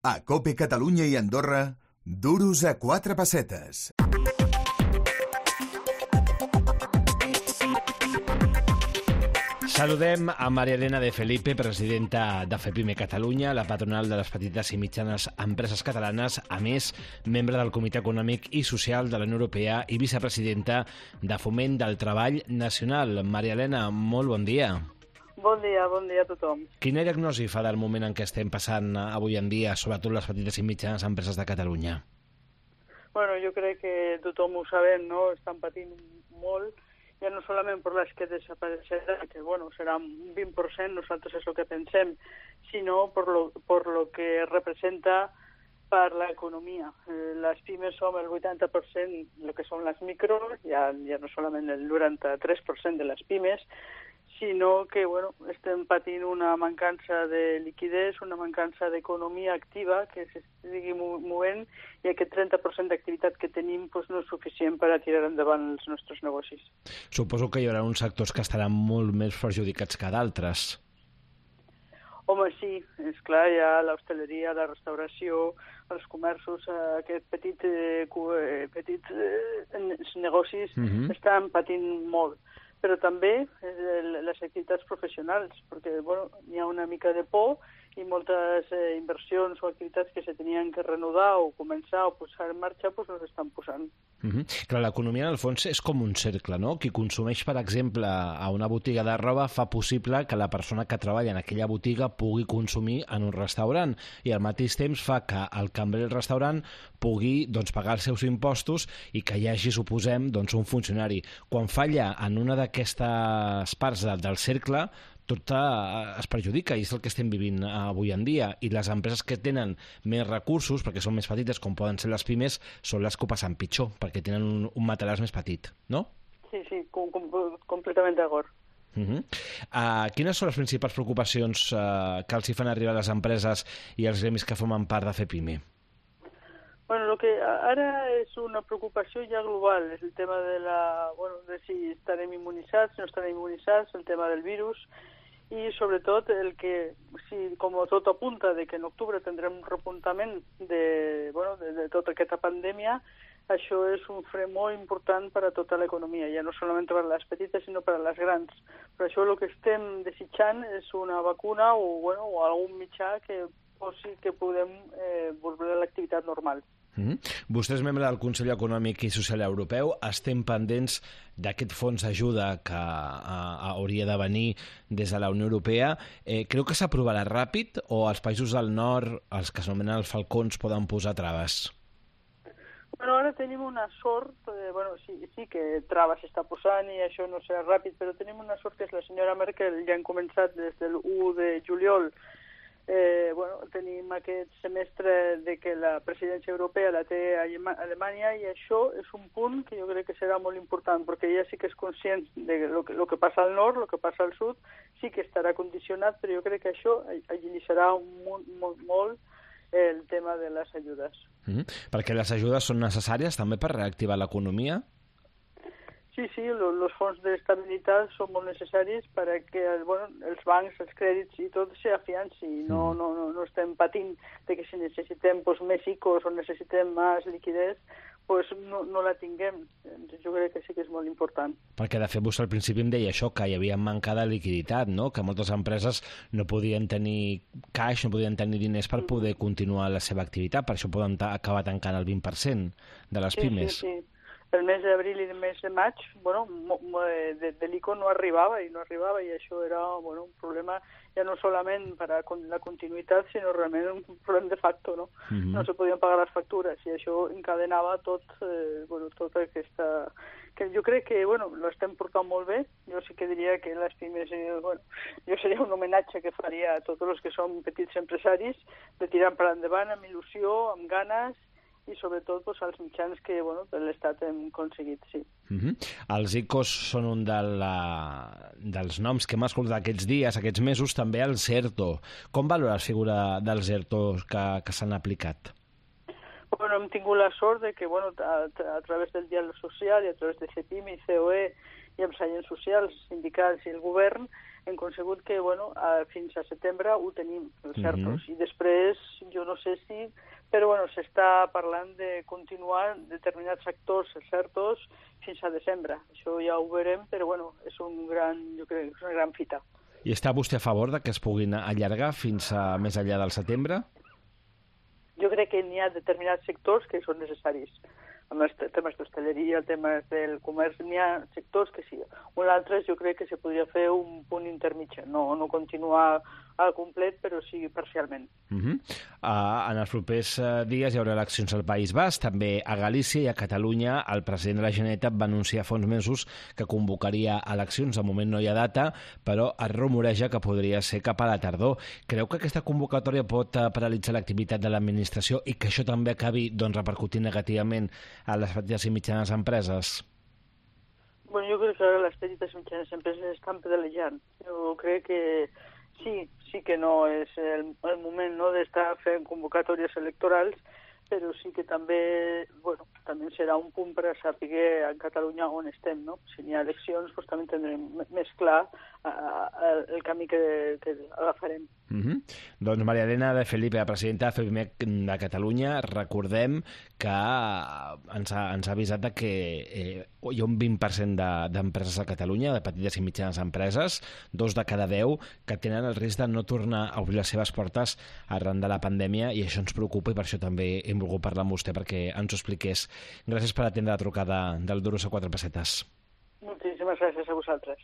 A COPE Catalunya i Andorra, duros a 4 pessetes. Saludem a Maria Elena de Felipe, presidenta de FEPIME Catalunya, la patronal de les petites i mitjanes empreses catalanes, a més, membre del Comitè Econòmic i Social de la Unió Europea i vicepresidenta de Foment del Treball Nacional. Maria Elena, molt bon dia. Bon dia a tothom. Quina diagnosi fa del moment en què estem passant avui en dia, sobretot les petites i mitjanes empreses de Catalunya? Bueno, jo crec que tothom ho sabem, no? Estan patint molt, ja no solament per les que desapareixeran, que bueno, serà un 20%, nosaltres és el que pensem, sinó per lo que representa per l'economia. Les pimes som el 80%, el que són les micros, ja no solament el 93% de les pimes, sinó que bueno, estem patint una mancança de liquiditat, una mancança d'economia activa que s'estigui movent, i aquest 30% d'activitat que tenim doncs, no és suficient per a tirar endavant els nostres negocis. Suposo que hi haurà uns sectors que estaran molt més perjudicats que d'altres. Home, sí, és clar, hi ha l'hostaleria, la restauració, els comerços, aquests petits negocis estan patint molt. Però també les activitats professionals, perquè bueno, hi ha una mica de por i moltes inversions o activitats que se tenien que reanudar o començar o posar en marxa doncs no s'estan posant. Clar, l'economia, en el fons, és com un cercle, no? Qui consumeix, per exemple, a una botiga de roba fa possible que la persona que treballa en aquella botiga pugui consumir en un restaurant i al mateix temps fa que el cambrer del restaurant pugui pagar els seus impostos i que hi hagi, suposem, un funcionari. Quan falla en una d'aquestes parts del cercle, tot es perjudica, i és el que estem vivint avui en dia, i les empreses que tenen més recursos, perquè són més petites, com poden ser les pimes, són les que ho passen pitjor, perquè tenen un matalàs més petit, no? Sí, completament d'acord. Quines són les principals preocupacions que els hi fan arribar les empreses i els gremis que formen part de FEPIME? Bueno, lo que ara és una preocupació ja global, és el tema de si estarem immunitzats, si no estarem immunitzats, el tema del virus, i sobretot el que, si com tot apunta de que en octubre tindrem un repuntament de tota aquesta pandèmia, això és un fre molt important per a tota l'economia, ja no solament per a les petites, sinó per a les grans. Per això el que estem desitjant és una vacuna o algun mitjà que posi que podem volver a l'activitat normal. Vostè és membre del Consell Econòmic i Social Europeu. Estem pendents d'aquest fons d'ajuda que hauria de venir des de la Unió Europea. Creu que s'aprovarà ràpid o els països del nord, els que s'anomenen els falcons, poden posar traves? Bueno, ara tenim una sort, sí que traves s'està posant i això no serà ràpid, però tenim una sort que és la senyora Merkel, ja han començat des del 1 de juliol. Tenim aquest semestre de que la presidència europea la té a Alemanya, i això és un punt que jo crec que serà molt important, perquè ella sí que és conscient de lo que passa al nord, el que passa al sud, sí que estarà condicionat, però jo crec que això agilitzarà molt el tema de les ajudes. Perquè les ajudes són necessàries també per reactivar l'economia? Sí, els fons d'estabilitat són molt necessaris perquè els bancs, els crèdits i tot s'afianci. No estem patint de que si necessitem més ICOs o necessitem més liquiditat, no la tinguem. Jo crec que sí que és molt important. Perquè, de fet, vostè al principi em deia això, que hi havia manca de liquiditat, no? Que moltes empreses no podien tenir caix, no podien tenir diners per poder continuar la seva activitat, per això poden acabar tancant el 20% de les pimes. Sí. El mes d'abril i el mes de maig, de l'ICO no arribava, i això era un problema ja no solament per a la continuïtat, sinó realment un problema de facto, no? No se podien pagar les factures, i això encadenava tota aquesta... que jo crec que l'estem portant molt bé. Jo sí que diria que les pimes, jo seria un homenatge que faria a tots els que són petits empresaris, de tirar per endavant amb il·lusió, amb ganes, i sobretot els mitjans que de l'Estat hem aconseguit, sí. Els ICOs són un dels noms que hem escoltat aquests dies, aquests mesos, també el CERTO. Com valora la figura dels ERTO que s'han aplicat? Hem tingut la sort de que a través del diàleg social i a través de CEPIME i COE i amb els agents socials, sindicals i el govern, hem consegut que, bueno, fins a setembre ho tenim, els CERTOs, i després, jo no sé si, però, bueno, s'està parlant de continuar determinats sectors, els CERTOs, fins a desembre. Això ja ho veurem, però, bueno, és jo crec, és una gran fita. I està vostè a favor de que es puguin allargar fins a més enllà del setembre? Jo crec que n'hi ha determinats sectors que són necessaris. Amb els temes d'hostaleria, temes del comerç, n'hi ha sectors que sí. Un altre jo crec que se podria fer un punt intermitja, no continuar al complet, però sí parcialment. En els propers dies hi haurà eleccions al País Basc, també a Galícia i a Catalunya. El president de la Generalitat va anunciar fa uns mesos que convocaria eleccions. De moment no hi ha data, però es rumoreja que podria ser cap a la tardor. Creu que aquesta convocatòria pot paralitzar l'activitat de l'administració i que això també acabi repercutint negativament a les petites i mitjanes empreses? Bueno, jo crec que ara les petites i mitjanes empreses estan pedalejant. Jo crec que sí que no és el moment, no, d'estar fent convocatòries electorals, però sí que també, bueno, també serà un punt per a saber a Catalunya on estem, no? Si n'hi ha eleccions, doncs també tindrem més clar el camí que agafarem. Doncs Maria Elena de Felipe, la presidenta de FEPIMEC de Catalunya, recordem que ens ha avisat que hi ha un 20% d'empreses a Catalunya, de petites i mitjanes empreses, 2 de cada 10, que tenen el risc de no tornar a obrir les seves portes arran de la pandèmia, i això ens preocupa, i per això també hem volgut parlar amb vostè perquè ens ho expliqués. Gràcies per atendre la trucada del Duros a 4 pessetes. Moltíssimes gràcies a vosaltres.